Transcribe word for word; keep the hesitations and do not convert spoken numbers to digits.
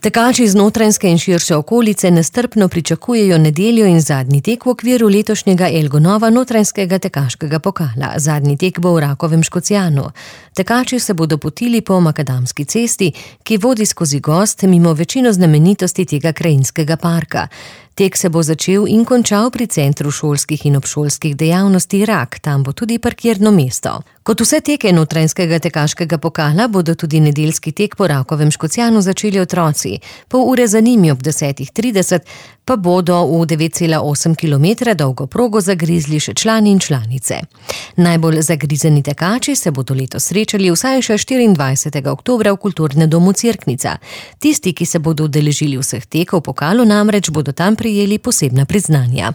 Tekači z Notranjske in širše okolice nestrpno pričakujejo nedeljo in zadnji tek v okviru letošnjega Elgonova Notranjskega tekaškega pokala. Zadnji tek bo v Rakovem Škocjanu. Tekači se bodo potili po Makadamski cesti, ki vodi skozi gozd mimo večino znamenitosti tega krajinskega parka. Tek se bo začel in končal pri centru šolskih in obšolskih dejavnosti Rak, tam bo tudi parkirno mesto. Kot vse teke Notranjskega tekaškega pokala bodo tudi nedeljski tek po Rakovem Škocjanu začeli otroci. Pol ure za njimi ob desetih trideset pa bodo v devet cela osem kilometra dolgo progo zagrizli še člani in članice. Najbolj zagrizeni tekači se bodo letos srečali vsaj še štiriindvajsetega oktobra v Kulturnem domu Cerknica. Tisti, ki se bodo udeležili vseh tekov pokalu, namreč bodo tam prejeli posebna priznanja.